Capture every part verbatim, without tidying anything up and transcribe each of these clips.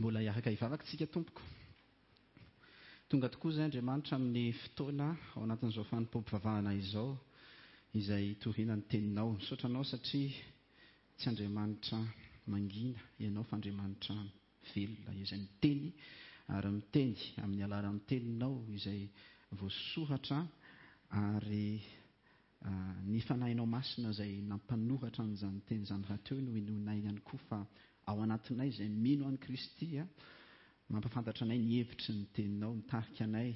Mbola hiaraka hivavaka isika tompoko. Tonga tokoa izay Andriamanitra amin'ny fotoana ao anatin'izao fanompoam-pivavahana izao izay hitoriana ny teninao. Misaotra anao satria tsy Andriamanitra mangina ianao fa Andriamanitra velona izay miteny ary miteny amin'ny alalan'ny teninao izay voasoratra ary ny fanahinao masina izay nampanoratra an'izany teny izany rahateo no inoanay ihany koa fa ao anatinay izay mino an'i Kristy mampahafantatra anay ny hevitry ny teninao, mitarika anay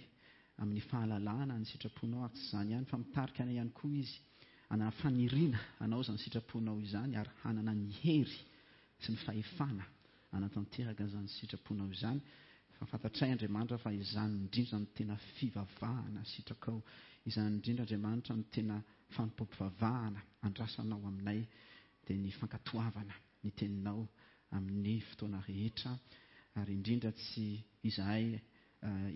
amin'ny fahalalana ny sitraponao ary tsy izany ihany fa mitarika anay ihany koa izy hanana faniriana hanao izany sitraponao izany ary hanana ny hery sy ny fahefana hanatanteraka izany sitraponao izany. Fa fantatray Andriamanitra fa izany indrindra no tena fivavahana sitrakao, izany indrindra Andriamanitra no tena fanompoam-pivavahana andrasanao aminay, dia ny fankatoavana ny teninao amin'ny fotoana rehetra, ary indrindra tsy izahay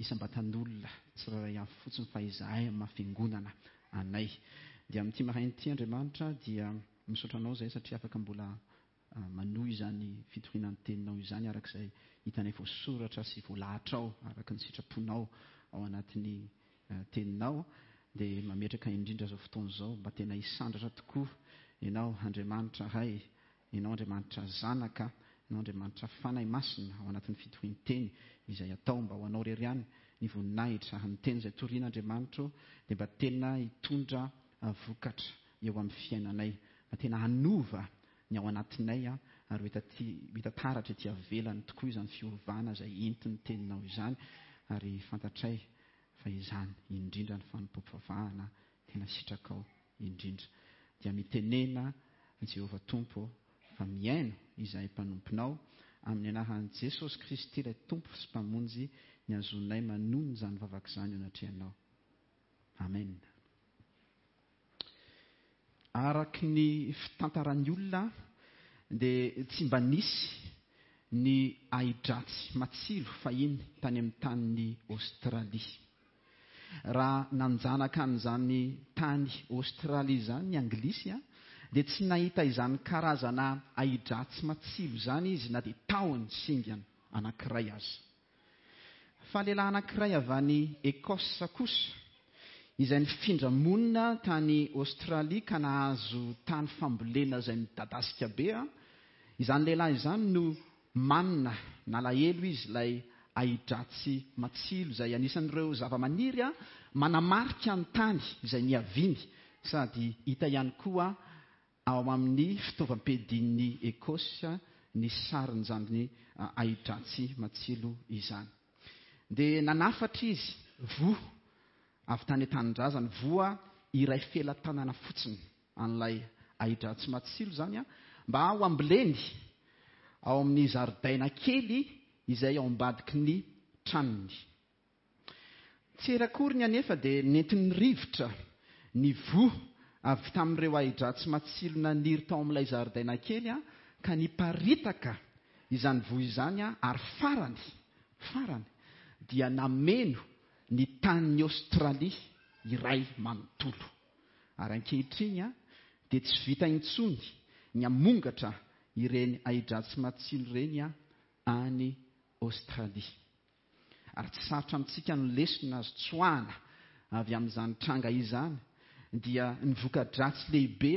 isam-batan'olona tsirairay avy fotsiny fa izahay amin'ny maha fiangonana anay. Dia amin'ity maraina ity Andriamanitra dia misaotra anao izahay satria afaka mbola manohy izany fitoriana ny teninao izany araka izay hitanay voasoratra sy voalahatrao araka ny sitraponao ao anatin'ny teninao. Dia mametraka indrindra izao fotoana izao mba tena hisandratra tokoa ianao Andriamanitra Ray, ianao Andriamanitra Zanaka, ianao Andriamanitra Fanahy Masina ao anatin'ny fitorian-teny izay atao mba ho anao irery ihany ny voninahitra ary ny teny izay torian'Andriamanitra dia mba tena hitondra vokatra eo amin'ny fiainanay, mba tena hanova ny ao anatinay ary ho hita taratra ety ivelany tokoa izany fiovana izay entin'ny teninao izany, ary fantatray fa izany indrindra ny fanompoam-pivavahana tena sitrakao indrindra. Dia mitenena Jehovah Tompo fa mihaino izahay mpanomponao amin'ny anaran'i Jesosy Kristy ilay Tompo sy Mpamonjy ny azonay manonona izany vavaka izany eo anatrehanao. Amen. Araky ny fitantaran'ny olona dia tsy mba nisy ny ahidratsy matsilo fahiny tany amin'ny tanin'i Aostralia. Raha nanjanaka an'izany tany Aostralia izany ny Anglisy dia tsy nahita izany karazana ahidratsy matsilo izany izy na dia tahony singana anankiray aza. Fa lehilahy anankiray avy any Écosse kosa izay nifindra monina tany Aostralia ka nahazo tany fambolena izay midadasika be, izany lehilahy izany no manina nalahelo izy ilay ahidratsy matsilo izay anisan'ireo zava-maniry manamarika ny tany izay niaviany sady hita ihany koa ao amin'ny fitaovam-piadian'ny Écosse ny sarin'izany ahidratsy matsilo izany. Dia nanafatra izy voa avy tany an-tanindrazany, voa iray felatanana fotsiny an'ilay ahidratsy matsilo izany mba ho amboleny ao amin'ny zaridaina kely izay ao ambadiky ny tranony. Tsy ela akory ny anefa dia nentin'ny rivotra ny voa avy tamin'ireo ahidratsy matsilo naniry tao amin'ilay zaridaina kely ka niparitaka izany voa izany ary farany, farany dia nameno ny tanin'i Aostralia iray manontolo. Ary ankehitriny dia tsy vita intsony ny hamongatra ireny ahidratsy matsilo ireny any Aostralia. Ary tsy sarotra amintsika ny lesona azo tsoahana avy amin'izany tranga izany dia ny voka-dratsy lehibe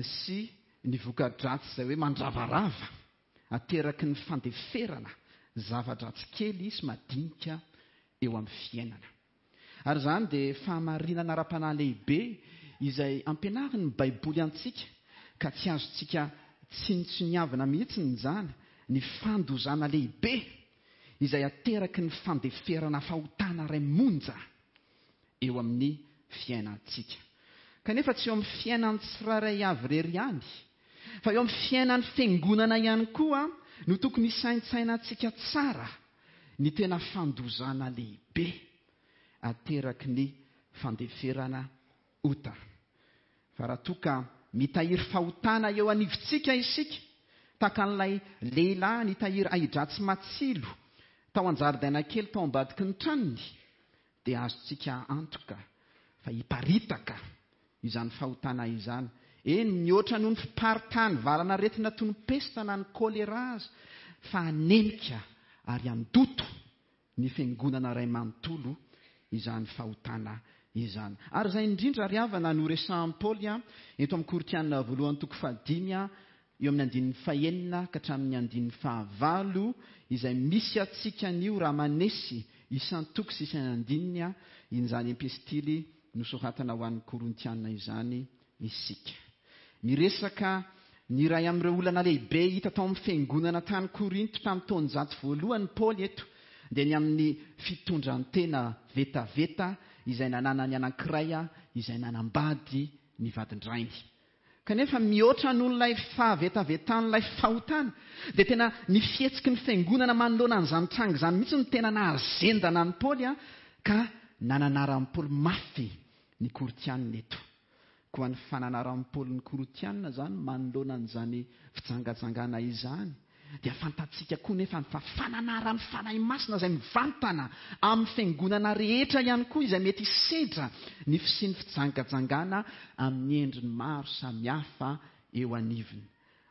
sy ny voka-dratsy izay hoe mandravarava ateraky ny fandeferana zava-dratsy kely sy madinika eo amin'ny fiainana. Ary izany dia fahamarinana ara-panahy lehibe izay ampianarin'ny Baiboly antsika ka tsy azontsika tsinontsiniavina mihitsy izany ny fandozana lehibe izay ateraky ny fandeferana fahotana iray monja eo amin'ny fiainantsika. Kanefa tsy eo amin'ny fiainan'ny tsirairay avy irery ihany, fa eo amin'ny fiainan'ny fiangonana ihany koa no tokony hisaintsainantsika tsara ny tena fandozana lehibe ateraky ny fandeferana ota. Fa raha toa ka mitahiry fahotana eo anivontsika isika, tahaka an'ilay lehilahy nitahiry ahidratsy matsilo tao an-jaridaina kely tao ambadiky ny tranony, dia azontsika antoka fa hiparitaka izany fahotana izany. Eny, mihoatra noho ny fiparitany valan'aretina toy ny pesta na ny kolera aza, fa hanemika ary handoto ny fiangonana iray manontolo izany fahotana izany. Ary izay indrindra ry havana no resahan'i Paoly eto amin'ny Korintiana voalohany toko fahadimy eo amin'ny andininy fahenina ka hatramin'ny andininy fahavalo, izay misy antsika anio raha manesy isan-toko sy isan'andininy izany epistily nosoratana ho an'ny Korintiana izany isika. Miresaka ny iray amin'ireo olana lehibe hita tao amin'ny fiangonana tany Korinto tamin'ny taonjato voalohany Paoly eto, dia ny amin'ny fitondran-tena vetaveta izay nananany anankiray izay nanambady ny vadin-drainy. Kanefa mihoatra noho ilay fahavetavetan'ilay fahotana, dia tena ny fihetsiky ny fiangonana manoloana an'izany tranga izany mihitsy no tena nahazendana an'i Paoly, ka nananaran'i Paoly mafy ny Korintianina eto. Koa ny fananaran'i Paoly ny Korintianina izany manoloana an'izany fijangajangana izany, dia fantatsika koa nefa fa fananaran'ny Fanahy Masina izay mivantana amin'ny fiangonana rehetra ihany koa izay mety hisedra ny fisian'ny fijangajangana amin'ny endriny maro samihafa eo anivony.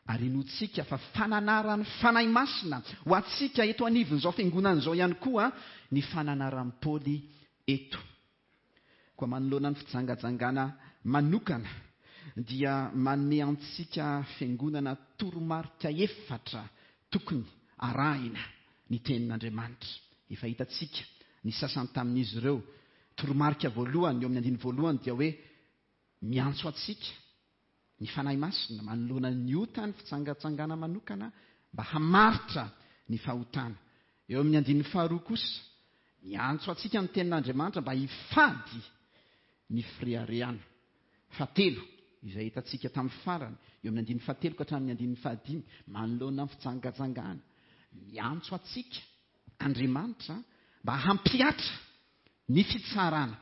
Ary inoantsika fa fananaran'ny Fanahy Masina ho antsika eto anivon'izao fiangonana izao ihany koa ny fananaran'i Paoly eto. Koa manoloana ny fijangajangana manokana dia manome antsika fiangonana toromarika efatra tokony arahina ny tenin'Andriamanitra. Efa hitantsika ny sasany tamin'izy ireo. Toromarika voalohany eo amin'ny andininy voalohany dia hoe miantso antsika ny Fanahy Masina manoloana ny ota ny fijangajangana manokana mba hamaritra ny fahotana. Eo amin'ny andininy faharoa kosa miantso antsika ny tenin'Andriamanitra mba hifady ny fireharehana. Fahatelo izay hitantsika tamin'ny farany eo amin'ny andininy fahatelo ka hatramin'ny andininy fahadimy manoloana ny fijangajangana, miantso antsika Andriamanitra mba hampihatra ny fitsarana.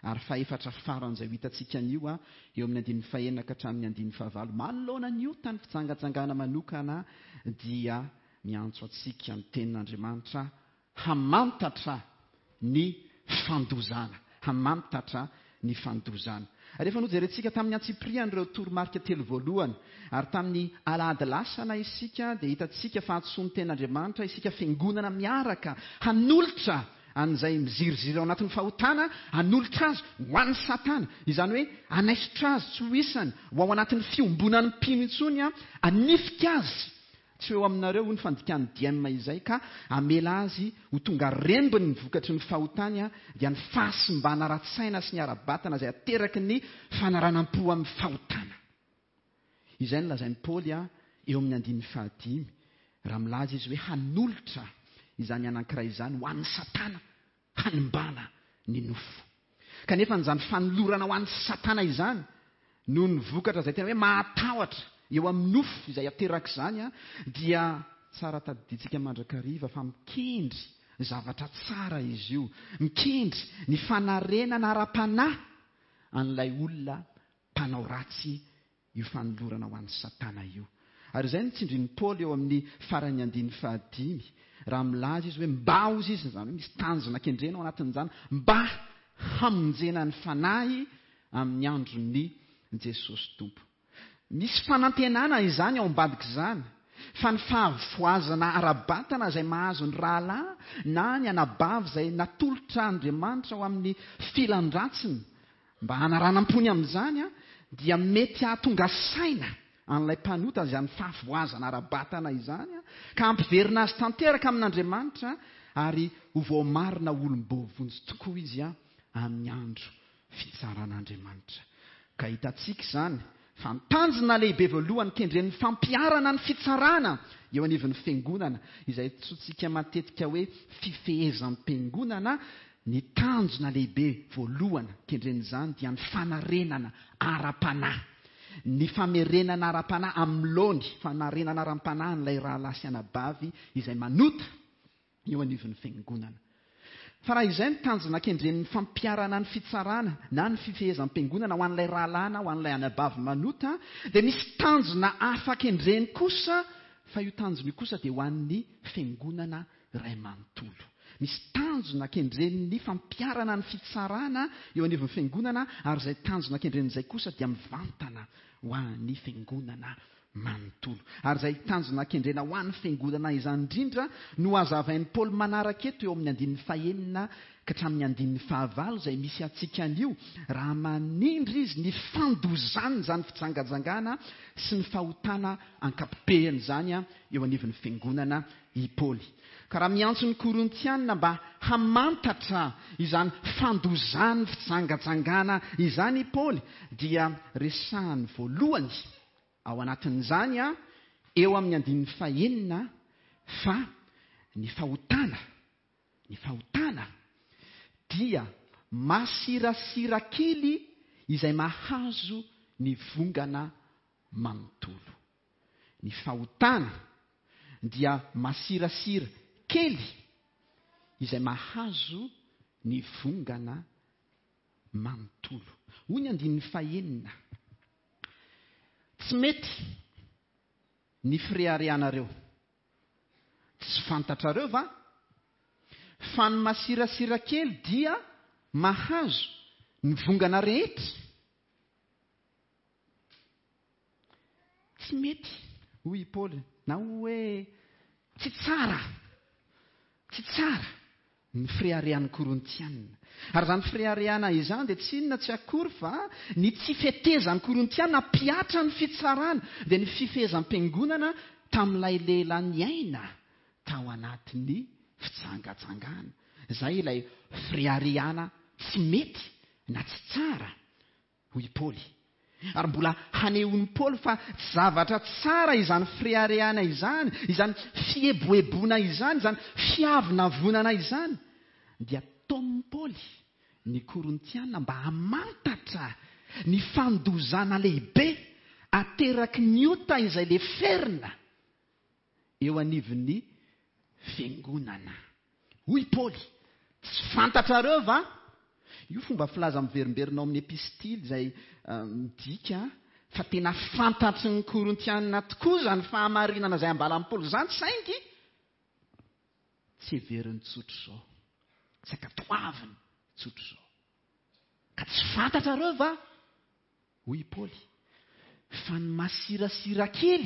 Ary fahefatra farany izay ho hitantsika anio a eo amin'ny andininy fahenina ka hatramin'ny andininy fahavalo manoloana ny ota ny fijangajangana manokana dia miantso antsika ny tenin'Andriamanitra hamantatra ny fandozana, hamantatra ny fandozana. Rehefa nojerentsika tamin'ny antsipiriany ireo toromarika telo voalohany ary tamin'ny alahady lasana isika dia hitantsika fa antsoin'ny tenin'Andriamanitra isika fiangonana miaraka hanolotra an'izay miziriziry ao anatin'ny fahotana, hanolotra azy ho an'ny Satana, izany hoe hanaisotra azy tsy ho isany, ho ao anatin'ny fiombonan'ny mpino intsony, hanifika azy tsy eo aminareo hoy ny fandikan'ny D M izay, ka hamela azy ho tonga rembiny ny vokatry ny fahotany, dia ny fahasimbana ara-tsaina sy ny ara-batana izay ateraky ny fanaranam-po amin'ny fahotana. Izay no lazain'i Paoly eo amin'ny andininy fahadimy, raha milaza izy hoe hanolotra izany anankiray izany ho an'ny Satana hanimbana ny nofo. Kanefa n'izany fanolorana ho an'ny Satana izany noho ny vokatra izay tena hoe mahatahotra eo amin'ny nofo izay ateraka izany, dia tsara tadidintsika mandrakariva fa mikendry zavatra tsara izy io, mikendry ny fanarenana ara-panahy an'ilay olona mpanao ratsy io fanolorana ho an'ny Satana io. Ary izay no tsindrin'i Paoly eo amin'ny faran'ny andininy fahadimy, raha milaza izy hoe mba hozy izy, izany hoe misy tanjona kendrena ao anatin'izany, mba hamonjena ny fanahy amin'ny andron'ny Jesosy Tompo. Misy fanantenana izany ao ambadik'izany, fa ny fahavoazana ara-batana izay mahazo ny rahalahy na ny anabavy izay natolotra Andriamanitra ao amin'ny filan-dratsiny mba hanaranam-pony amin'izany, dia mety hahatonga saina an'ilay mpanota izany fahavoazana ara-batana izany, ka hampiverina azy tanteraka amin'Andriamanitra ary ho voamarina olom-boavonjy tokoa izy amin'ny andro fitsaran'Andriamanitra. Ka hitantsika izany fa ny tanjona lehibe voalohany kendren'ny fampiharana ny fitsarana eo anivon'ny fiangonana, izay antsointsika matetika hoe fifehezam-piangonana, ny tanjona lehibe voalohany kendren'izany dia ny fanarenana ara-panahy, ny famerenana ara-panahy amin'ny laony, fanarenana ara-panahy an'ilay rahalahy sy anabavy izay manota eo anivon'ny fiangonana. Fa raha izay ny tanjona kendren'ny fampiharana ny fitsarana na ny fifehezam-piangonana ho an'ilay rahalahy na ho an'ilay anabavy manota, dia misy tanjona hafa kendreny kosa, fa io tanjona io kosa dia ho an'ny fiangonana iray manontolo. Misy tanjona kendren'ny fampiharana ny fitsarana eo anivon'ny fiangonana, ary izay tanjona kendren'izay kosa dia mivantana ho an'ny fiangonana manontolo. Ary izay tanjona kendrena ho an'ny fiangonana izany indrindra no hazavain'i Paoly manaraka eto eo amin'ny andininy fahenina ka hatramin'ny andininy fahavalo izay misy antsika anio, raha manindry izy ny fandozana izany fijangajangana sy ny fahotana ankapobeny izany eo anivon'ny fiangonana i Paoly. Ka raha miantso ny Korintianina mba hamantatra izany fandozan'ny fijangajangana izany i Paoly, dia resahany voalohany ao anatin'izany a eo amin'ny andininy fahenina fa ny fahotana, ny fahotana dia masirasira kely izay mahazo ny vongana manontolo. Ny fahotana dia masirasira kely izay mahazo ny vongana manontolo. Hoy ny andininy fahenina: tsy mety ny fireharehanareo. Tsy fantatrareo va fa ny masirasira kely dia mahazo ny vongana rehetra? Tsy mety, hoy i Paoly, na hoe tsy tsara, tsy tsara ny fireharehan'ny Korintianina. Ary izany fireharehana izany dia tsy inona tsy akory fa ny tsy fetezan'ny Korintianina hampihatra ny fitsarana, dia ny fifehezam-piangonana tamin'ilay lehilahy niaina tao anatin'ny fijangajangana. Izay ilay fireharehana tsy mety na tsy tsara, hoy i Paoly. Ary mbola hanehoan'i Paoly fa tsy zavatra tsara izany fireharehana izany, izany fieboeboana izany, izany fiavonavonana izany. Dia taomin'i Paoly ny Korintianina mba hamantatra ny fandozana lehibe ateraky ny ota izay leferina eo anivon'ny fiangonana. Hoy Paoly: tsy fantatrareo va? Io fomba filaza miverimberina ao amin'ny epistily izay midika fa tena fantatry ny Korintianina tokoa izany fahamarinana izay ambaran'i Paoly izany, saingy tsy heveriny tsotra izao, tsy ankatoaviny tsotra izao. Ka tsy fantatrareo va, hoy i Paoly, fa ny masirasira kely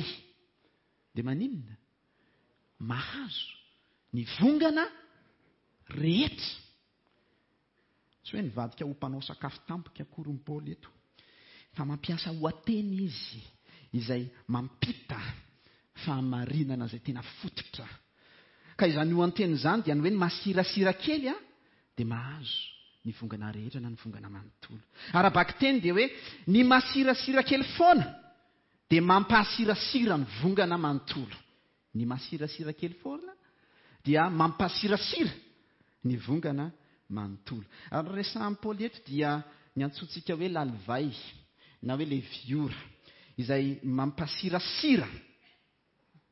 dia maninona? Mahazo ny vongana rehetra. Tsy hoe nivadika ho mpanao sakafo tampoka akory ny Paoly eto, fa mampiasa ohateny izy izay mampita fahamarinana izay tena fototra. Ka izany ohateny izany dia ny hoe ny masirasira kely a dia mahazo ny vongana rehetra na ny vongana manontolo. Ara-bakiteny dia hoe ny masirasira kely foana dia mampasirasira ny vongana manontolo. Ny masirasira kely foana dia mampasirasira ny vongana manontolo. Ary resahan'i Paoly eto dia ny antsointsika hoe lalivay na hoe leviora izay mampasirasira,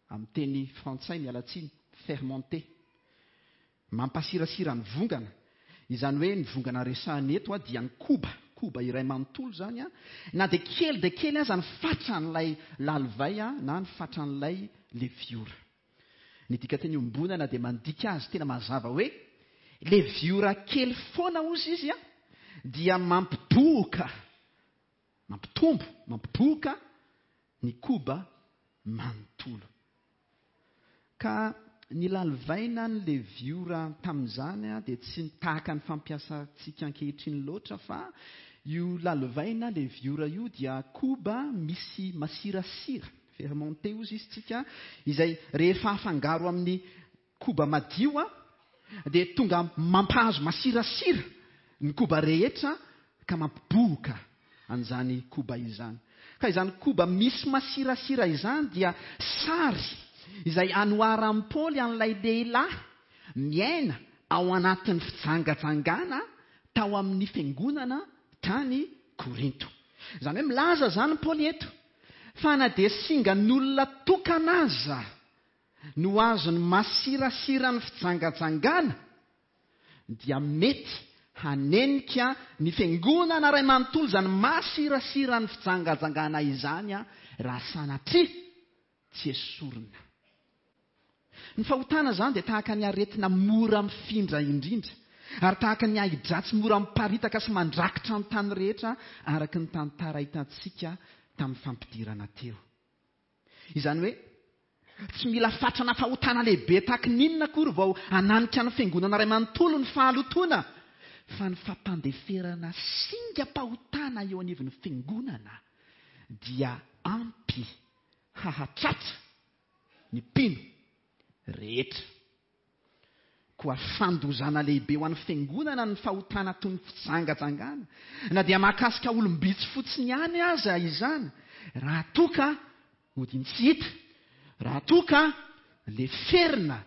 amin'ny teny frantsay miala tsiny, fermenté, mampasirasira ny vongana. Izany hoe ny vongana resahana eto dia ny koba, koba iray manontolo izany a, na dia kely dia kely aza ny fatran'ilay lalivay na ny fatran'ilay leviora. Ny dikateny iombonana dia mandika azy tena mazava hoe leviora kely foana ozy izy a dia mampibohoka, mampitombo, mampibohoka ny koba manontolo. Ka ny lalivaina ny leviora tamin'izany a dia tsy tahaka ny fampiasantsika ankehitriny loatra, fa io lalivaina leviora io dia koba misy masirasira, fermenté ozy izy tsika, izay rehefa afangaro amin'ny koba madio a dia tonga mampahazo masirasira ny koba rehetra ka mampibohoka an'izany koba izany. Ka izany koba misy masirasira izany dia sary izay anoharan'i Paoly an'ilay lehilahy miaina ao anatin'ny fijangajangana tao amin'ny fiangonana tany Korinto. Izany hoe milaza izany Paoly eto fa na dia singan'olona tokana aza no azony masirasira ny fijangajangana dia mety hanenika ny fiangonana iray manontolo izany masirasira ny fijangajangana izany a raha sanatria tsy esorina. Ny fahotana izany dia tahaka ny aretina mora mifindra indrindra, ary tahaka ny ahidratsy mora miparitaka sy mandrakitra ny tany rehetra araka ny tantara hitantsika tamin'ny fampidirana teo. Izany hoe tsy mila fatrana fahotana lehibe tahaky ny inona akory vao hananika ny fiangonana iray manontolo ny fahalotoana, fa ny fampandeferana singam-pahotana eo anivon'ny fiangonana dia ampy hahatratra ny mpino rehetra. Koa fandozana lehibe ho an'ny fiangonana ny fahotana toy ny fijangajangana, na dia mahakasika olom-bitsy fotsiny ihany aza izany, raha toa ka odiany tsy hita, raha toa ka leferina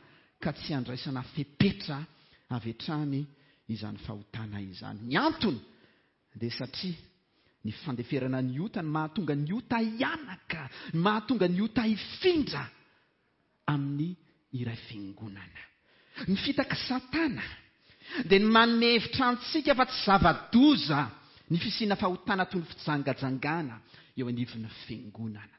ka tsy andraisana fepetra avy hatrany izany fahotana izany. Ny antony dia satria ny fandeferana ny ota no mahatonga ny ota hianaka, ny mahatonga ny ota hifindra amin'ny iray fiangonana. Ny fitaky Satana dia ny manome hevitra antsika fa tsy zava-doza ny fisiana fahotana toy ny fijangajangana eo anivon'ny fiangonana.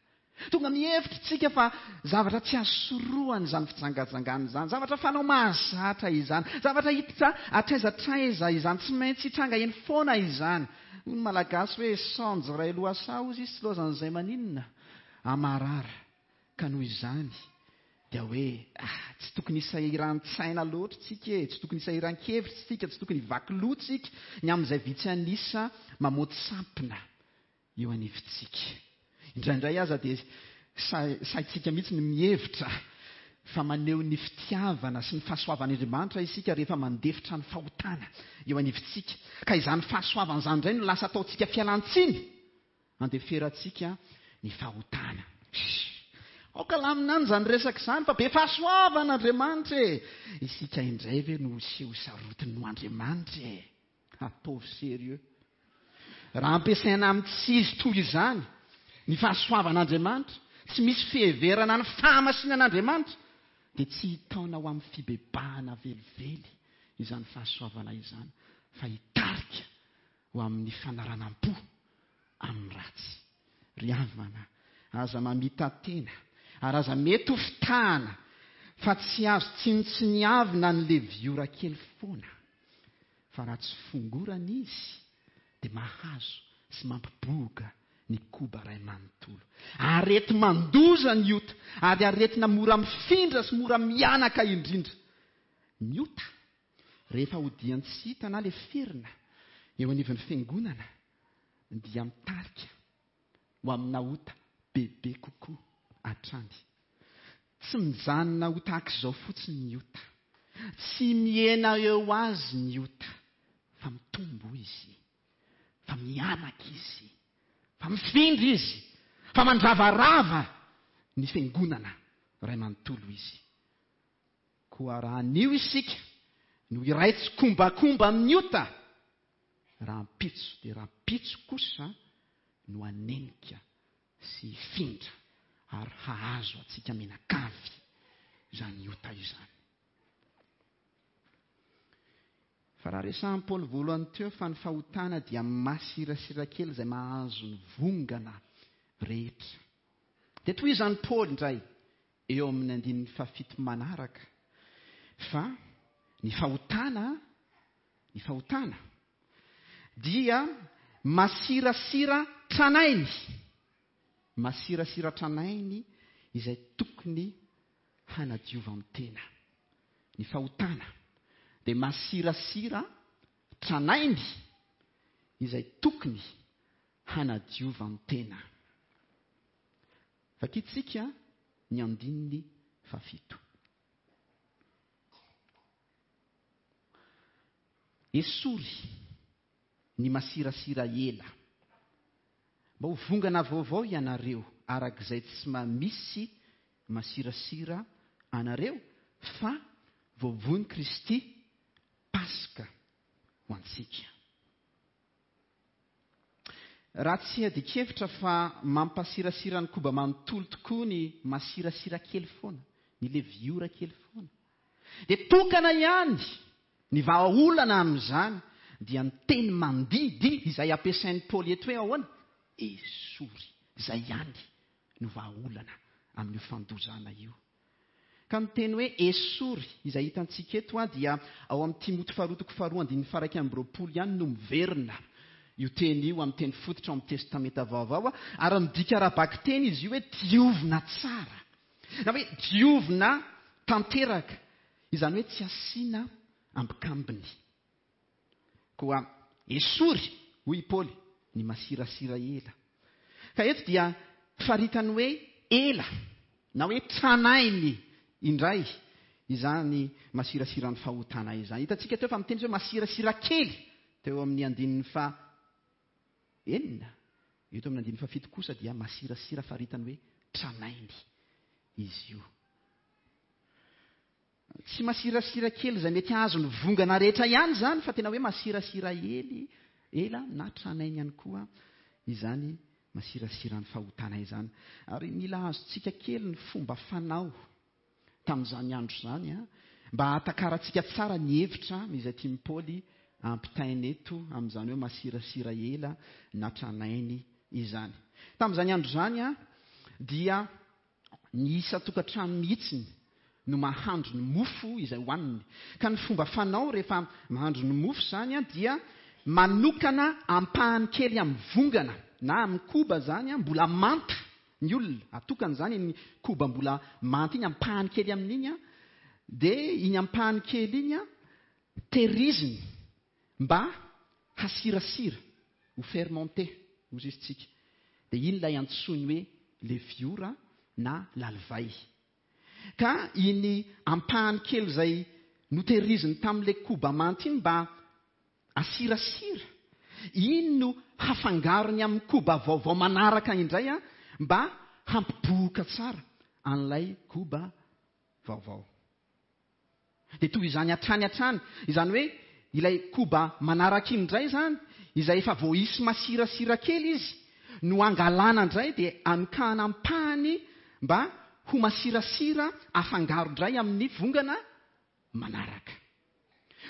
Tonga mihevitra tsika fa zavatra tsy azo sorohana izany fijangajangana izany, zavatra fanao mahazatra izany, zavatra hita hatraiza hatraiza izany, tsy maintsy hitranga eny foana izany. Hoy ny Malagasy hoe saonjo iray lohasaha hozy izy, tsy lozan'izay maninona amarara. Ka noho izany dia hoe ah, tsy tokony hisahiran-tsaina loatra tsika e, tsy tokony hisahiran-kevitra tsika, tsy tokony hivaky loha tsika ny amin'izay vitsy an'isa mamoty sampona eo anivontsika. Indraindray aza dia saintsika mihitsy ny mihevitra fa maneho ny fitiavana sy ny fahasoavan'Andriamanitra isika rehefa mandefitra ny fahotana eo anivontsika. Ka izany fahasoavana izany indray no lasa ataontsika fialantsiny andeferantsika ny fahotana. Aoka lamina any izany resaka izany fa be fahasoavana Andriamanitra e. Isika indray ve no seho sarotiny no Andriamanitra e? Ataovy sérieux. Raha ampiasaina amin'ny tsy izy toy izany ny fahasoavan'Andriamanitra, tsy misy fiheverana ny fahamasinan'Andriamanitra, dia tsy hitaona ho amin'ny fibebahana velively izany fahasoavana izany, fa hitarika ho amin'ny fanaranam-po amin'ny ratsy. Ry havana, aza mamita-tena ary aza mety ho fitahana fa tsy azo tsinontsiniavina ny leviora kely foana, fa raha tsy fongorana izy dia mahazo sy mampibohoka ny koba iray manontolo. Areti-mandoza ny ota, ary aretina mora mifindra sy mora mianaka indrindra. Ny ota, rehefa odiany tsy hita na leferina eo anivon'ny fiangonana, dia mitarika ho amina ota bebe kokoa hatrany. Tsy mijanona ho tahaka izao fotsiny ny ota. Tsy mihena eo azy ny ota, fa mitombo izy, fa mianaka izy, fa mifindra izy, fa mandravarava ny fiangonana iray manontolo izy. Koa raha anio isika no iray tsikombakomba amin'ny ota, rahampitso dia rahampitso kosa no hanenika sy hifindra ary hahazo antsika mianakavy izany ota izany. Fa raha resahan'i Paoly voalohany teo fa ny fahotana dia masirasira kely izay mahazo ny vongana rehetra. Dia tohizan'i Paoly indray eo amin'ny andininy fahafito manaraka fa ny fahotana, ny fahotana dia masirasira tranainy, masirasira tranainy izay tokony hanadiovan-tena. Ny fahotana dia masirasira tranainy izay tokony hanadiovan-tena. Vakitsika ny andininy fahafito. Esory ny masirasira ela, mba ho vongana vaovao ianareo arak'izay tsy mamisy masirasira anareo, fa voavono Kristy Paska ho antsika. Raha tsy adikevitra fa mampasirasira ny koba manontolo tokoa ny masirasira kely foana, ny leviora kely foana, dia tokana ihany ny vahaolana amin'izany, dia ny teny mandidy izay ampiasain'i Paoly eto hoe ahoana? Esory. Izay ihany no vahaolana amin'io fandozana io. Ka ny teny hoe esory izay hitantsika eto dia ao amin'ny Timoty faharoa toko faharoa andininy faha iraika amby roapolo ihany no miverina io teny io amin'ny teny fototra ao amin'ny Testamenta Vaovao, ary midika ara-bakiteny izy io hoe diovina tsara, na hoe diovina tanteraka, izany hoe tsy asiana ambikambiny. Koa esory, hoy i Paoly, ny masirasira ela. Ka eto dia faritany hoe ela na hoe tranainy indray izany masirasiran'ny fahotana izany. Hitantsika teo fa miteny izy hoe masirasira kely teo amin'ny andininy fa enina, eto amin'ny andininy fahafito kosa dia masirasira faritany hoe tranainy izy io. Tsy masirasira kely izay mety hahazo ny vongana rehetra ihany izany, fa tena hoe masirasira ely, ela na tranainy ihany koa izany masirasiran'ny fahotana izany. Ary mila azontsika kely ny fomba fanao tamin'izany andro izany, a, mba hahatakarantsika tsara ny hevitra izay tian'i Paoly ampitaina eto amin'izany hoe masirasira ela na tranainy izany. Tamin'izany andro izany, a, dia ny isan-tokantrano mihitsiny no mahandro ny mofo izay hohaniny. Ka ny fomba fanao rehefa mahandro ny mofo izany, a, dia manokana ampahany kely amin'ny vongana na amin'ny koba izany, a, mbola manta ny olona. Atokana izany ny koba mbola manta iny, ampahany kely amin'iny, a, dia iny ampahany kely iny, a, tehiriziny mba hasirasira, ho fermenté, hoy izy tsika. Dia iny ilay antsoiny hoe leviora na lalivay. Ka iny ampahany kely izay notehiriziny tamin'ilay koba manta iny mba asirasira, iny no hafangarony amin'ny koba vaovao manaraka indray, a, mba hampibohoka tsara an'ilay koba vaovao. Dia toy izany hatrany hatrany, izany hoe ilay koba manaraka iny indray izany, izay efa voaisy masirasira kely izy, no angalana indray dia anokahana ampahany mba ho masirasira afangaro indray amin'ny vongana manaraka.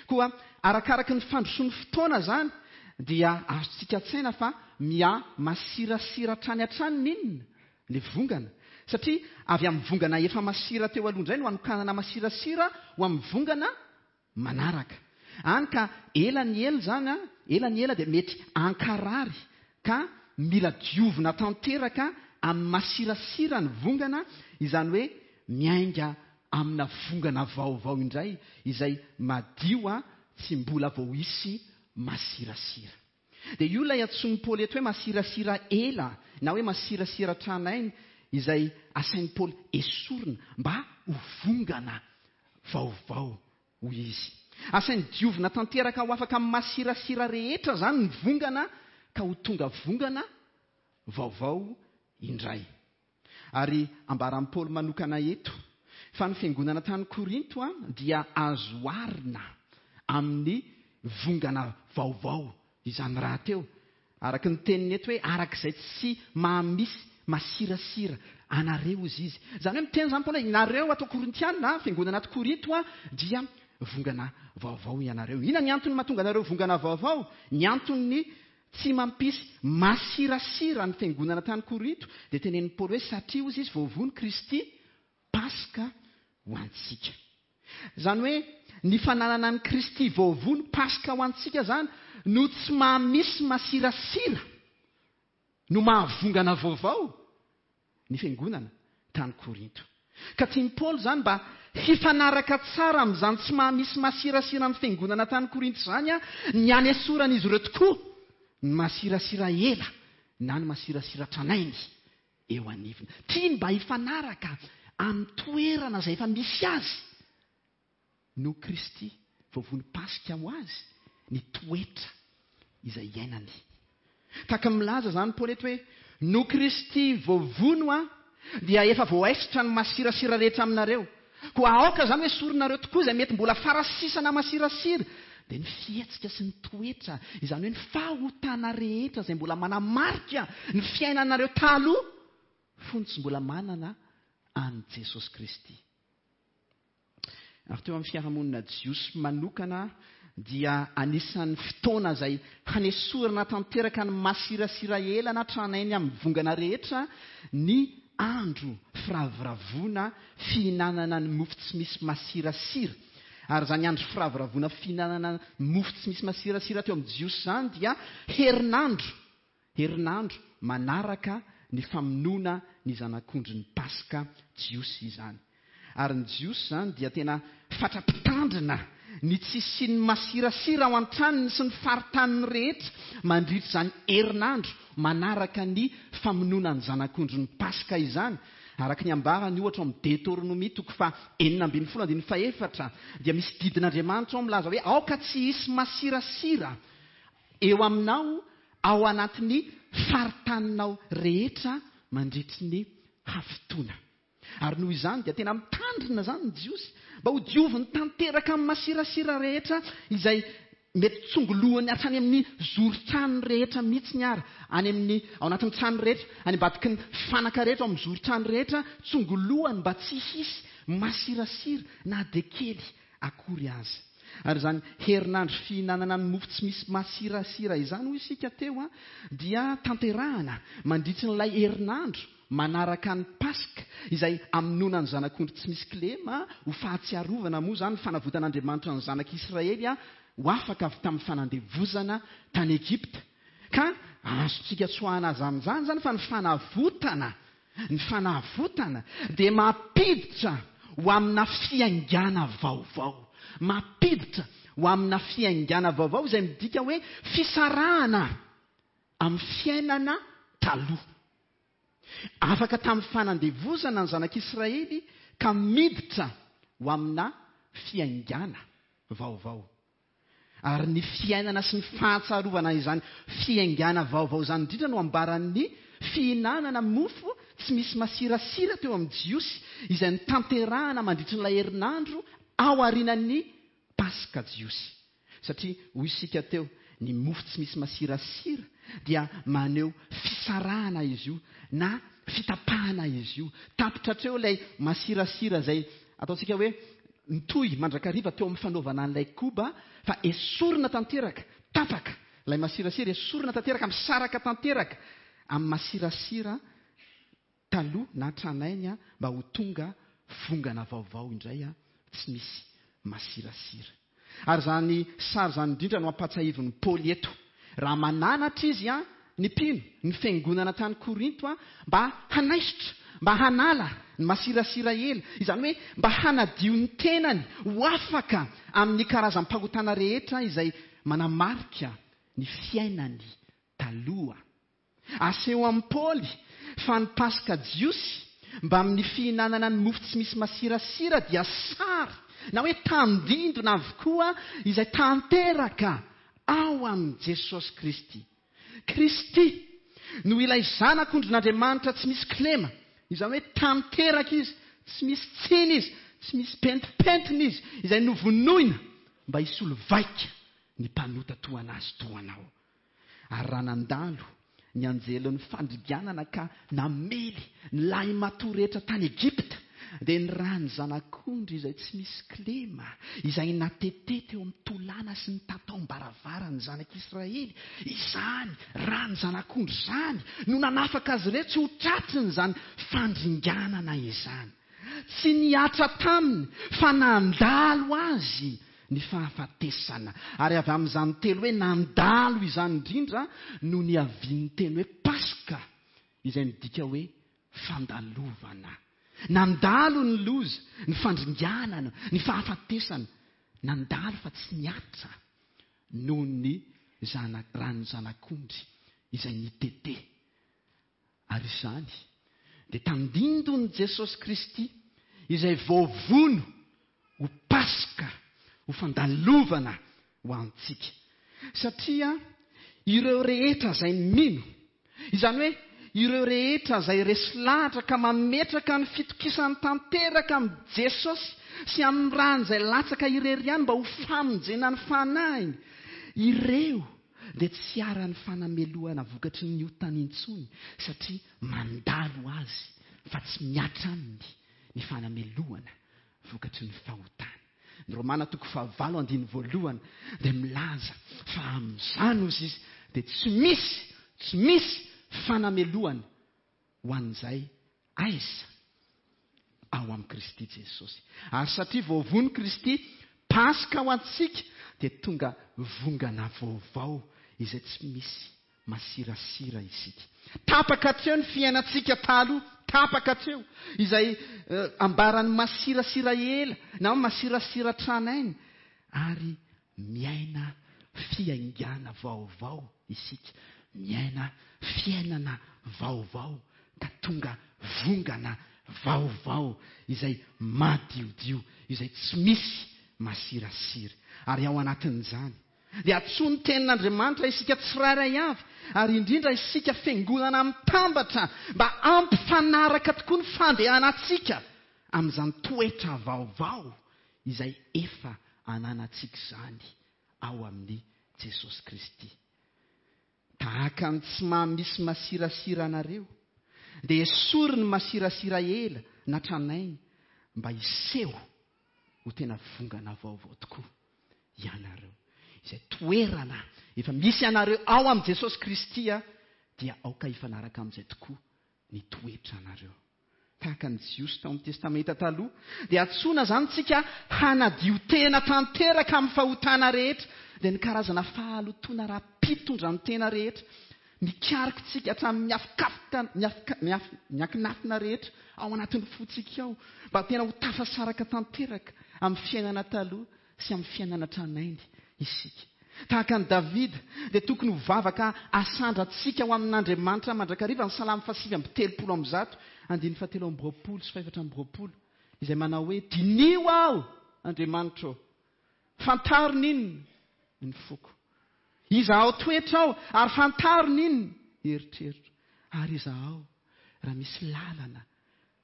Koa arakaraky ny fandrosoan'ny fotoana izany dia azontsika an-tsaina fa miha masirasira hatrany hatrany ny inona? Ny vongana. Satria avy amin'ny vongana efa masira teo aloha indray no anokanana masirasira ho amin'ny vongana manaraka. Any ka ela ny ela izany, a, ela ny ela dia mety ankarary ka mila diovina tanteraka amin'ny masirasira ny vongana, izany hoe miainga amina vongana vaovao indray izay madio, a, tsy mbola voaisy masirasira. Dia io ilay antsoin'i Paoly eto hoe masirasira ela na hoe masirasira tranainy izay asain'i Paoly esorina mba ho vongana vaovao, hoy izy. Asainy diovina tanteraka ho afaka amin'ny masirasira rehetra izany ny vongana ka ho tonga vongana vaovao indray. Ary ambaran'i Paoly manokana eto fa ny fiangonana tany Korinto, a, dia azo oharina amin'ny vongana vaovao izany rahateo. Araka ny teniny eto hoe arak'izay tsy mahamisy masirasira anareo izy izy. Izany hoe miteny izany Paoly hoe nareo ato Korintiana, fiangonana ato Korinto, a, dia vongana vaovao ianareo. Inona ny antony mahatonga anareo vongana vaovao? Ny antony tsy mampisy masirasira ny fiangonana tany Korinto dia tenenin'i Paoly hoe satria hozy izy voavono Kristy Paska ho antsika. Izany hoe ny fananana an'i Kristy voavono Paska ho antsika izany no tsy mahamisy masirasira no mahavongana vaovao ny fiangonana tany Korinto. Ka tian'i Paoly izany mba hifanaraka tsara amin'izany tsy mahamisy masirasira ny fiangonana tany Korinto izany, a, ny anesoran'izy ireo tokoa ny masirasira ela na ny masirasira tranainy eo anivony. Tiany mba hifanaraka amin'ny toerana izay efa misy azy no Kristy voavono Paska ho azy ny toetra izay iainany. Tahaka milaza izany Paoly eto hoe no Kristy voavono, a, dia efa voaesitra ny masirasira rehetra aminareo. Koa aoka izany hoe soronareo tokoa izay mety mbola farasisana masirasira, dia ny fihetsika sy ny toetra, izany hoe ny fahotana rehetra izay mbola manamarika ny fiainanareo taloha fony tsy mbola manana an'i Jesosy Kristy. Ary teo amin'ny fiarahamonina jiosy manokana dia anisan'ny fotoana izay hanesorana tanteraka ny masirasira ela na tranainy amin'ny vongana rehetra ny andro firavoravoana fihinanana ny mofo tsy misy masirasira. Ary izany andro firavoravoana fihinanana mofo tsy misy masirasira teo amin'ny Jiosy izany dia herinandro, herinandro manaraka ny famonoana ny zanak'ondrin'ny Paska Jiosy izany. Ary ny Jiosy izany dia tena fatra-pitandrina ny tsy hisian'ny masirasira ao an-tranony sy ny faritaniny rehetra mandritra izany herinandro manaraka ny famonoana ny zanak'ondrin'ny Paska izany. Araka ny ambarany ohatra ao amin'ny Deoteronomia toko faha enina ambin'ny folo andininy fahefatra dia misy didin'Andriamanitra ao milaza hoe aoka tsy hisy masirasira eo aminao ao anatin'ny faritaninao rehetra mandritry ny hafitoana. Ary noho izany dia tena mitandrina izany ny Jiosy mba ho dioviny tanteraka amin'ny masirasira rehetra izay mety tsongolohany hatrany amin'ny zoron-trano rehetra mihitsy ny ara, any amin'ny, ao anatin'ny trano rehetra, any ambadiky ny fanaka rehetra, ao amin'ny zoron-trano rehetra, tsongolohany mba tsy hisy masirasira na dia kely akory aza. Ary izany herinandro fihinanana ny mofo tsy misy masirasira izany, hoy isika teo, a, dia tanterahana mandritry n'ilay herinandro manaraka ny Paska, izay hamonoana ny zanak'ondry tsy misy kilema, ho fahatsiarovana moa izany ny fanavotan'Andriamanitra ny zanak'Israely ho afaka avy tamin'ny fanandevozana tany Egypta. Ka azontsika tsoahana azy amin'izany izany fa ny fanavotana, ny fanavotana dia mampiditra ho amina fiaingàna vaovao. Mampiditra ho amina fiaingàna vaovao izay midika hoe fisarahana amin'ny fiainana taloha. Afaka tamin'ny fanandevozana ny zanak'Israely ka miditra ho amina fiaingàna vaovao. Ary ny fiainana sy ny fahatsarovana izany fiaingàna vaovao izany indrindra no ambaran'ny fihinanana mofo tsy misy masirasira teo amin'ny Jiosy izay notanterahana mandritry n'ilay herinandro ao aorian'ny Paska Jiosy. Satria hoy isika teo, ny mofo tsy misy masirasira dia maneho fisarahana izy io na fitapahana izy io. Tapitra hatreo ilay masirasira izay ataontsika hoe nitohy mandrakariva teo amin'ny fanaovana an'ilay koba, fa esorina tanteraka, tapaka ilay masirasira, esorina tanteraka, misaraka tanteraka amin'ny masirasira taloha na tranainy mba ho tonga vongana vaovao indray tsy misy masirasira. Ary izany sary izany indrindra no ampahatsiahivin'i Paoly eto. Raha mananatra izy a, ny mpino, ny fiangonana tany Korinto a, mba hanaisotra, mba hanala ny masirasira ela, izany hoe mba hanadio ny tenany ho afaka amin'ny karazam-pahotana rehetra izay manamarika ny fiainany taloha. Aseho amin'i Paoly fa ny Paska Jiosy mba amin'ny fihinanana ny mofo tsy misy masirasira dia sary na hoe tandindona avokoa izay tanteraka ao amin'i Jesosy Kristy. Kristy no ilay zanak'ondrin'Andriamanitra tsy misy kilema, izany hoe tanteraka izy, tsy misy tsiny izy, tsy misy pentipentina izy, izay novonoina mba hisolo vaika ny mpanota toa anazy toa anao. Ary raha nandalo ny anjelin'ny fandriganana ka namely ny lahimatoa rehetra tany Egypta, dia ny ràn'ny zanak'ondry izay tsy misy kilema, izay natete teo amin'ny tolàna sy ny tataom-baravarany zanak'Israely, izany ràn'ny zanak'ondry izany no nanafaka azy ireo tsy ho tratriny izany fandringanana izany. Tsy nihatra taminy fa nandalo azy ny fahafatesana. Ary avy amin'izany teny hoe nandalo izany indrindra no niavian'ny teny hoe Paska, izay midika hoe fandalovana. Nandalo ny loza, ny fandringanana, ny fahafatesana. Nandalo fa tsy nihatra noho ny zana-, ràn'ny zanak'ondry izay nitete. Ary izany dia tandindon'i Jesosy Kristy izay voavono ho Paska, ho fandalovana ho antsika. Satria ireo rehetra izay mino, izany hoe ireo rehetra izay resy lahatra ka mametraka ny fitokisany tanteraka amin'i Jesosy sy amin'ny ràny izay latsaka irery ihany mba ho famonjena ny fanahiny, ireo dia tsy haran'ny fanamelohana vokatry ny otany intsony, satria mandalo azy fa tsy mihatra aminy ny fanamelohana vokatry ny fahotany. Ny Romana toko fahavalo andininy voalohany dia milaza fa amin'izany ozy izy dia tsy misy, tsy misy fanamelohana ho an'izay aiza ao amin'i Kristy Jesosy. Ary satria voavono Kristy Paska ho antsika, dia tonga vongana vaovao izay tsy misy masirasira isika. Tapaka hatreo ny fiainantsika taloha, tapaka hatreo izay ambaran'ny masirasira ela na masirasira tranainy, ary miaina fiaingàna vaovao isika, miaina fiainana vaovao ka tonga vongana vaovao izay madiodio, izay tsy misy masirasira. Ary ao anatin'izany dia antsoin'ny tenin'Andriamanitra isika tsirairay avy, ary indrindra isika fiangonana mitambatra mba hampifanaraka tokoa ny fandehanantsika amin'izany toetra vaovao izay efa ananantsika izany ao amin'i Jesosy Kristy. Tahaka ny tsy maha misy masirasira anareo, dia esory ny masirasira ela na tranainy mba hiseho ho tena vongana vaovao tokoa ianareo. Izay toerana efa misy anareo ao amin'i Jesosy Kristy dia aoka hifanaraka amin'izay tokoa ny toetra anareo. Tahaka ny Jiosy tao amin'ny Testamenta taloha, dia antsoina izany tsika hanadio tena tanteraka amin'ny fahotana rehetra, dia ny karazana fahalotoana ara-pitondran-tena rehetra, mikaroka tsika hatramin'ny miafikafoka, miafika, miaf-, miakinafina rehetra ao anatin'ny fontsika ao, mba tena ho tafasaraka tanteraka amin'ny fiainana taloha sy amin'ny fiainana tranainy isika. Tahaka an'i Davida, dia tokony ho vavaka asandratsika ho amin'Andriamanitra mandrakariva ny salamo fahasivy amby telopolo amby zato, andininy fahatelo amby roapolo sy fahefatra amby roapolo, izay manao hoe: diniho aho, Andriamanitro, fantaro n'inona ny foko. Izahao toetra aho, ary fantaro n'inona eritreritro. Ary izahao, raha misy lalana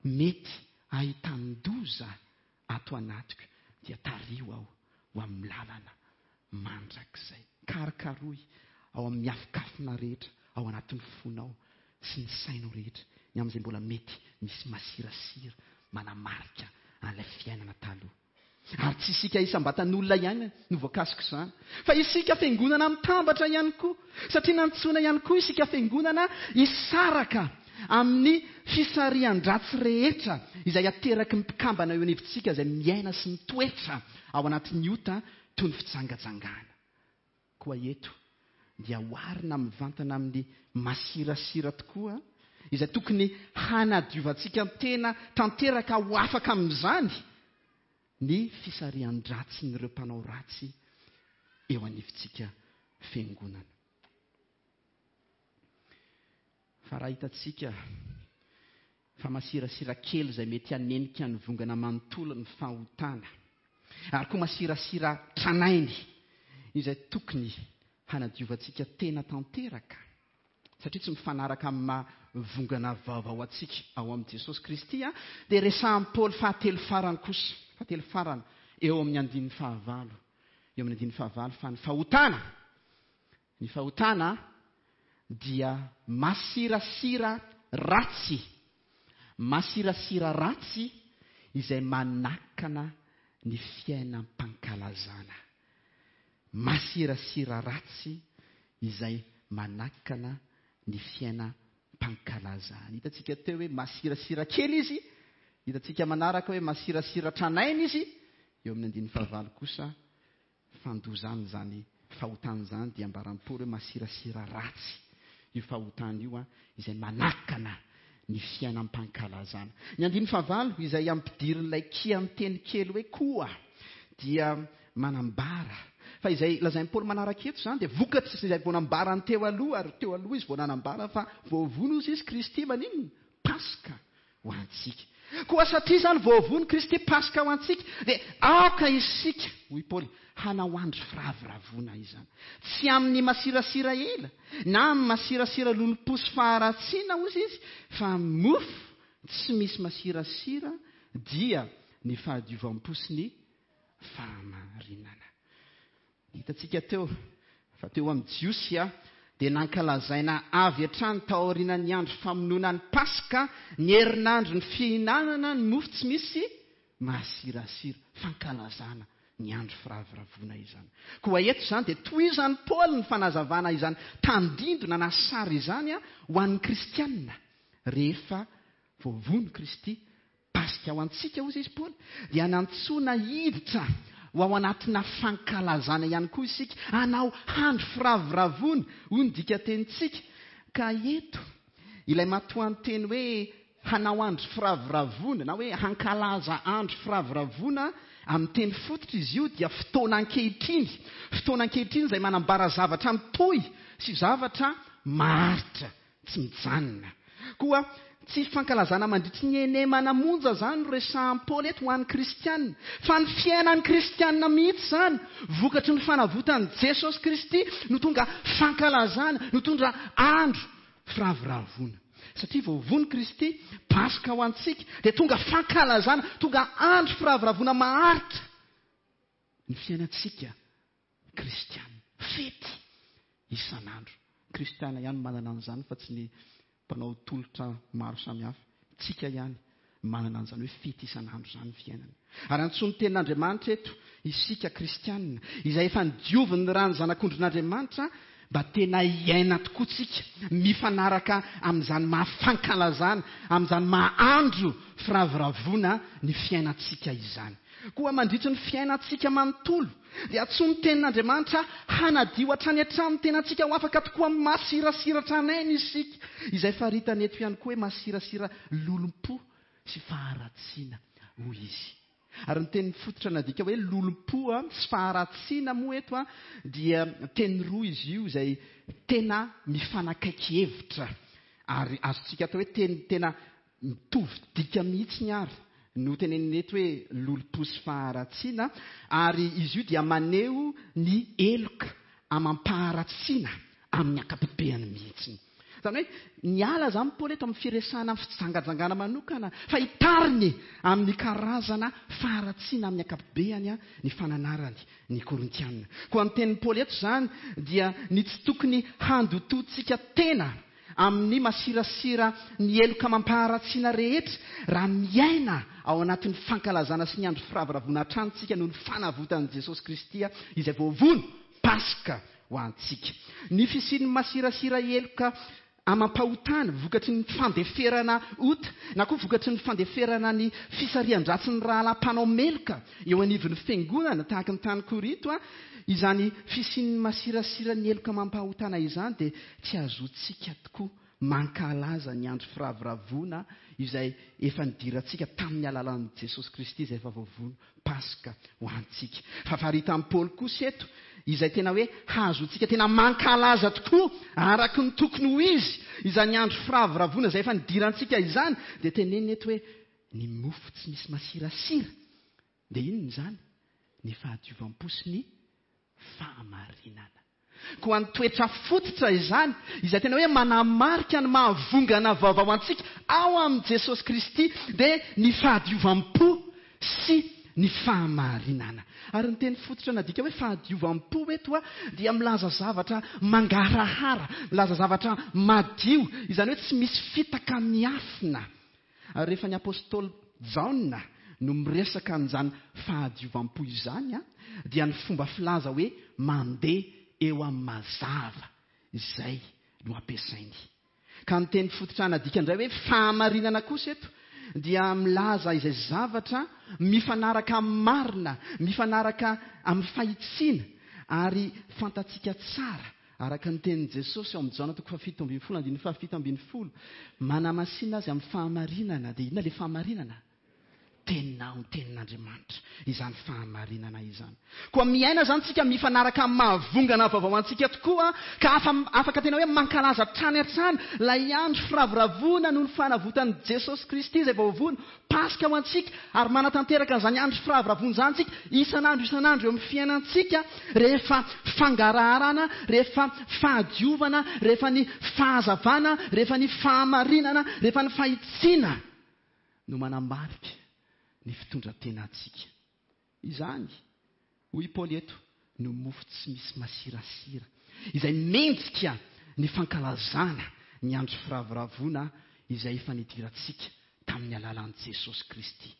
mety ahitan-doza ato anatiko, dia tariho aho ho amin'ny lalana mandrakizay. Karokaroy ao amin'ny afokafona rehetra, ao anatin'ny fonao sy ny sainao rehetra, ny amin'izay mbola mety misy masirasira manamarika an'ilay fiainana taloha. Ary tsy isika isam-batan'olona ihany no voakasika izany, fa isika fiangonana mitambatra ihany koa, satria nantsoina ihany koa isika fiangonana hisaraka amin'ny fisarihan-dratsy rehetra izay ateraky ny mpikambana eo anivontsika izay miaina sy mitoetra ao anatin'ny ota toy ny fijangajangana. Koa eto dia oharina mivantana amin'ny masirasira tokoa izay tokony hanadiovantsika tena tanteraka ho afaka amin'izany ny fisarihan-dratsin'ireo mpanao ratsy eo anivontsika fiangonana. Fa raha hitantsika fa masirasira kely izay mety hanenika ny vongana manontolo ny fahotana, ary koa masirasira tranainy izay tokony hanadiovantsika tena tanteraka, satria tsy mifanaraka amin'ny maha vongana vaovao antsika ao amin'i Jesosy Kristy, dia resahan'i Paoly fahatelo farany kosa, fahatelo farany eo amin'ny andininy fahavalo, eo amin'ny andininy fahavalo, fa ny fahotana, ny fahotana dia masirasira ratsy, masirasira ratsy izay manakana ny fiainam-pankalazana. Masirasira ratsy izay manakana ny fiainam-pankalazana. Hitantsika teo hoe masirasira kely izy, hitantsika manaraka hoe masirasira tranainy izy. Eo amin'ny andininy fahavalo kosa, fandozana izany fahotana izany, dia ambaran'i Paoly hoe masirasira ratsy io fahotana io, a, izay manakana ny fiainam-pankalazana. Ny andininy fahavalo izay ampidirin'ilay kianteny kely hoe koa dia manambara fa izay lazain'i Paoly manaraka eto izany dia vokatry izay vao nambarany teo aloha, ary teo aloha izy vao nanambara fa voavono izy izy Kristy maninona? Paska ho antsika. Koa satria izany voavono Kristy Paska ho antsika, dia aoka isika, hoy Paoly, hanao andro firavoravoana izany. Tsy amin'ny masirasira ela, na amin'ny masirasira lolompo sy faharatsiana, hoy izy, fa mofo tsy misy masirasira dia ny fahadiovam-po sy ny fahamarinana. Hitantsika teo fa teo amin'ny Jiosy a, dia nankalazaina avy hatrany taorian'ny andro famonoana ny Paska, ny herinandro ny fihinanana ny mofo tsy misy masirasira, fankalazana ny andro firavoravoana izany. Koa eto izany dia tohizan'i Paoly ny fanazavana izany tandindona na sary izany a, ho an'ny kristianina rehefa voavono Kristy Paska ho antsika, hoy izy Paoly, dia nantsoina hiditra ho ao anatina fankalazana ihany koa isika, hanao andro firavoravoana, hoy ny dikatenintsika. Ka eto ilay matoanteny hoe hanao andro firavoravoana na hoe hankalaza andro firavoravoana amin'ny teny fototra izy io dia fotoana ankehitriny, fotoana ankehitriny izay manambara zavatra mitohy sy zavatra maharitra tsy mijanona. Koa tsy fankalazana mandritry ny henemana monja izany no resahan'i Paoly eto ho an'ny kristianina, fa ny fiainan'ny kristianina mihitsy izany, vokatry ny fanavotan'i Jesosy Kristy no tonga fankalazana, no tonga andro firavoravoana. Satria voavono Kristy, Paska ho antsika, dia tonga fankalazana, tonga andro firavoravoana maharitra ny fiainantsika kristianina. Fety isan'andro. Kristiana ihany manana an'izany fa tsy ny mpanao tolotra maro samihafa. Tsika ihany manana an'izany hoe fety isan'andro izany ny fiainana. Ary antsoin'ny tenin'Andriamanitra eto isika kristianina, izay efa nodiovin'ny ran'ny zanak'ondrin'Andriamanitra, mba tena hiaina tokoa tsika, mifanaraka amin'izany maha-fankalazana, amin'izany maha-andro firavoravoana ny fiainantsika izany. Koa mandritry ny fiainantsika manontolo, dia antsoin'ny tenin'Andriamanitra hanadio hatrany hatrany ny tenantsika ho afaka tokoa amin'ny masirasira tranainy isika, izay faritany eto ihany koa hoe masirasira lolompo sy faharatsiana, hoy izy. Ary ny teny fototra nadika hoe lolompo sy faharatsiana moa eto dia teny roa izy io izay tena mifanakaiky hevitra, ary azontsika atao hoe teny tena mitovy dika mihitsy ny ary no tenenina eto hoe lolompo sy faharatsiana, ary izy io dia maneho ny heloka amam-paharatsiana amin'ny ankapobeany mihitsy. Izany hoe niala izany Paoly eto amin'ny firesahana amin'ny fijangajangana manokana, fa hitariny amin'ny karazana faharatsiana amin'ny ankapobeany ny fananarany ny Korintianina. Koa ny tenin'i Paoly eto izany dia ny tsy tokony handotoantsika tena amin'ny masirasira ny heloka mampaharatsiana rehetra raha miaina ao anatin'ny fankalazana sy ny andro firavoravoana hatrany tsika noho ny fanavotan'i Jesosy Kristy izay voavono Paska ho antsika. Ny fisian'ny masirasira heloka amam-pahotana vokatry ny fandeferana ota na koa vokatry ny fandeferana ny fisarihan-dratsin'ny rahalahy mpanao meloka eo anivon'ny fiangonana tahaka ny tany Korinto, izany fisian'ny masirasira ny heloka amam-pahotana izany dia tsy azontsika tokoa mankalaza ny andro firavoravoana izay efa nidirantsika tamin'ny alalan'i Jesosy Kristy izay efa voavono Paska ho antsika. Fa faritan'i Paoly kosa eto izay tena hoe hahazoantsika tena mankalaza tokoa araka ny tokony ho izy izany andro firavoravoana izay efa nidirantsika izany, dia tenenina eto hoe ny mofo tsy misy masirasira dia inona izany? Ny fahadiovam-po sy ny fahamarinana. Koa ny toetra fototra izany izay tena hoe manamarika ny mahavongana vaovao antsika ao amin'i Jesosy Kristy dia ny fahadiovam-po sy ny fahamarinana. Ary ny teny fototra nadika hoe fahadiovam-po eto a dia milaza zavatra mangarahara, milaza zavatra madio, izany hoe tsy misy fitaka miafina. Ary rehefa ny apôstôly Jaona no miresaka an'izany fahadiovam-po izany a dia ny fomba filaza hoe mandeha eo amin'ny mazava izay no ampiasainy. Ka ny teny fototra nadika indray hoe fahamarinana kosa eto dia milaza izay zavatra mifanaraka amin'ny marina, mifanaraka amin'ny fahitsiana, ary fantatsika tsara araka ny tenin'i Jesosy ao amin'ny Jaona toko fahafito ambin'ny folo andininy fahafito ambin'ny folo, manamasina azy amin'ny fahamarinana. Dia inona ilay fahamarinana? Teninao, ny tenin'Andriamanitra, izany fahamarinana izany. Koa miaina izany tsika mifanaraka amin'ny mahavongana vaovao antsika tokoa, ka afa-, afaka tena hoe mankalaza hatrany hatrany ilay andro firavoravoana noho ny fanavotan'i Jesosy Kristy izay voavono Paska ho antsika, ary manatanteraka an'izany andro firavoravoana izany tsika isan'andro isan'andro eo amin'ny fiainantsika, rehefa fangaraharana, rehefa fahadiovana, rehefa ny fahazavana, rehefa ny fahamarinana, rehefa ny fahitsiana no manamarika ny fitondran-tenantsika. Izany, hoy Paoly eto, no mofo tsy misy masirasira, izay mendrika ny fankalazana ny andro firavoravoana izay efa nidirantsika tamin'ny alalan'i Jesosy Kristy.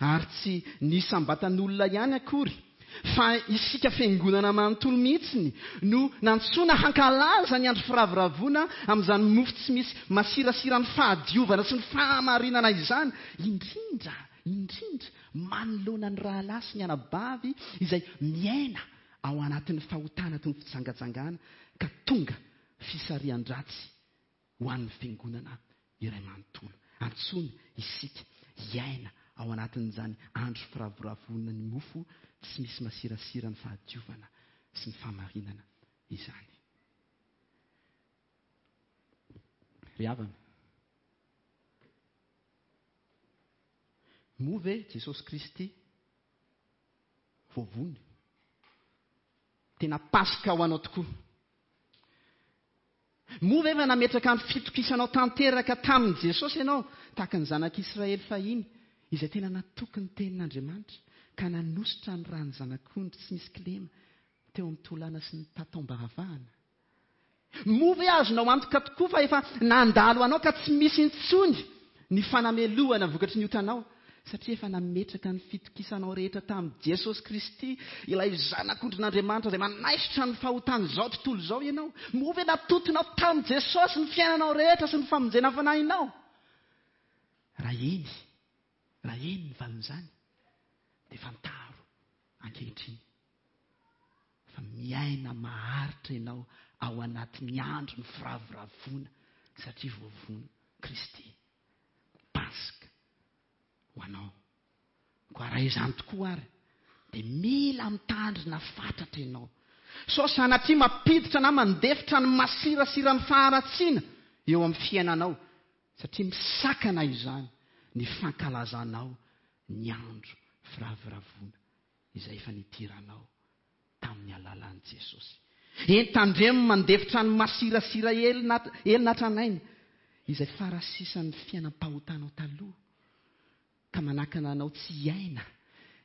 Ary tsy ny isam-batan'olona ihany akory, fa isika fiangonana manontolo mihitsiny no nantsoina hankalaza ny andro firavoravoana amin'izany mofo tsy misy masirasira ny fahadiovana sy ny fahamarinana izany, indrindra indrindra manoloana ny rahalahy sy ny anabavy izay miaina ao anatin'ny fahotana toy ny fijangajangana ka tonga fisarihan-dratsy ho an'ny fiangonana iray manontolo. Antsoina isika hiaina ao anatin'izany andro firavoravoana ny mofo tsy misy masirasira ny fahadiovana sy ny fahamarinana izany. Ry havana, moa ve Jesosy Kristy voavony? Tena Paska ho anao tokoa. Moa ve efa nametraka ny fitokisanao tanteraka tamin'i Jesosy ianao, tahaka ny zanak'Israely fahiny, izay tena natoky ny tenin'Andriamanitra, ka nanositra ny ran'ny zanak'ondry tsy misy kilema teo amin'ny tolàna sy ny tataom-baravahana? Moa ve azonao antoka tokoa fa efa nandalo anao ka tsy misy intsony ny fanamelohana vokatry ny otanao, satria efa nametraka ny fitokisanao rehetra tamin'i Jesosy Kristy, ilay zanak'ondrin'Andriamanitra izay manaisotra ny fahotan'izao tontolo izao ianao? Moa ve natotonao tamin'i Jesosy ny fiainanao rehetra sy ny famonjena fanahinao? Raha eny, raha eny ny valin'izany, dia fantaro ankehitriny fa miaina maharitra ianao ao anatin'ny andro ny firavoravoana, satria voavono Kristy. Paska ho anao. Koa raha izany tokoa ary, dia mila mitandrina fatratra ianao. Sao sanatria mampiditra na mandefitra ny masirasira ny faharatsiana eo amin'ny fiainanao, satria misakana izany ny fankalazanao ny andro firavoravoana izay efa nidiranao tamin'ny alalan'i Jesosy. Eny, tandremo mandefitra ny masirasira elina hatranainy, izay farasisan'ny fiainam-pahotanao taloha, ka manakana anao tsy hiaina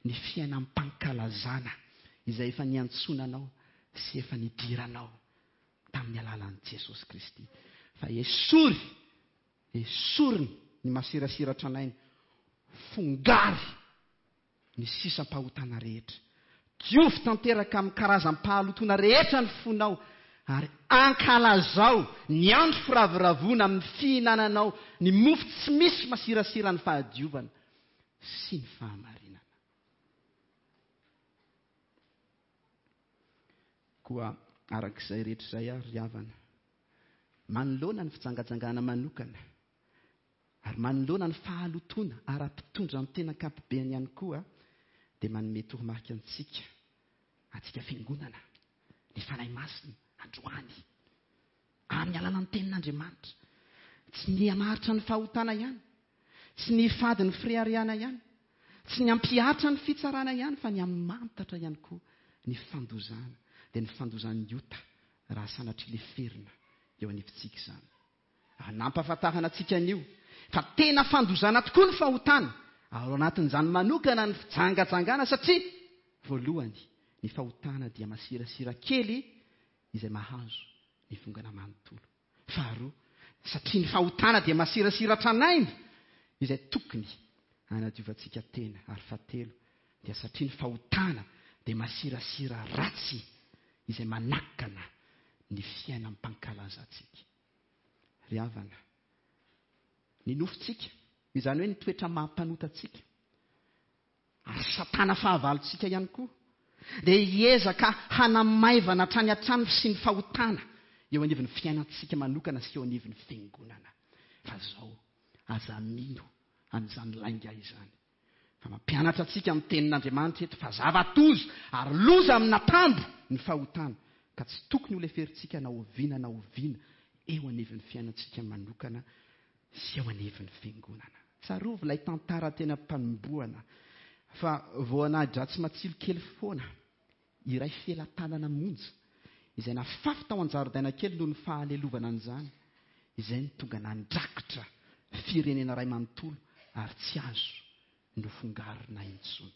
ny fiainam-pankalazana izay efa niantsonanao sy efa nidiranao tamin'ny alalan'i Jesosy Kristy. Fa esory, esoriny ny masirasira tranainy, fongary ny sisam-pahotana rehetra. Diovy tanteraka amin'ny karazam-pahalotoana rehetra ny fonao, ary ankalazao ny andro firavoravoana amin'ny fihinananao ny mofo tsy misy masirasira ny fahadiovana sy ny fahamarinana. Koa arak'izay rehetra izay ary ry havana, manoloana ny fijangajangana manokana ary manoloana ny fahalotoana ara-pitondran-tena ankapobeny ihany koa, dia manome toromarika antsika, antsika fiangonana, ny Fanahy Masina androany, amin'ny alalan'ny tenin'Andriamanitra. Tsy ny hamaritra ny fahotana ihany, tsy ny hifady ny fireharehana ihany, tsy ny hampihatra ny fitsarana ihany, fa ny hamantatra ihany koa ny fandozana, dia ny fandozan'ny ota raha sanatria leferina eo anivontsika izany. Ary nampahafantarana antsika an'io fa tena fandozana tokoa ny fahotana, ary ao anatin'izany manokana ny fijangajangana, satria voalohany ny fahotana dia masirasira kely izay mahazo ny vongana manontolo. Faharoa, satria ny fahotana dia masirasira tranainy izay tokony hanadiovantsika tena. Ary fahatelo, dia satria ny fahotana dia masirasira ratsy izay manakana ny fiainam-pankalazantsika. Ry havana, ny nofontsika, izany hoe ny toetra maha-mpanotantsika, ary Satana fahavalontsika ihany koa, dia hiezaka hanamaivana hatrany hatrany sy ny fahotana eo anivon'ny fiainantsika manokana sy eo anivon'ny fiangonana. Fa zao, aza mino an'izany lainga izany. Fa mampianatra antsika amin'ny tenin'Andriamanitra eto fa zava-doza ary loza amin'atambo ny fahotana, ka tsy tokony ho leferintsika na oviana na oviana eo anivon'ny fiainantsika manokana sy eo anivon'ny fiangonana. Tsarovy ilay tantara tena mpanombohana fa voanahy-dratsy matsilo kely foana iray felatanana monja izay nafafy tao an-jaridaina kely noho ny fahalelovana an'izany, izay no tonga nandrakotra firenena iray manontolo ary tsy azo nofongarina intsony.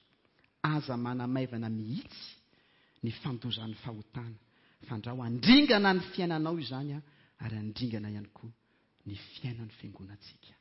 Aza manamaivana mihitsy ny fandozan'ny fahotana, fandrao handringana ny fiainanao izany ary handringana ihany koa ny fiainan'ny fiangonantsika.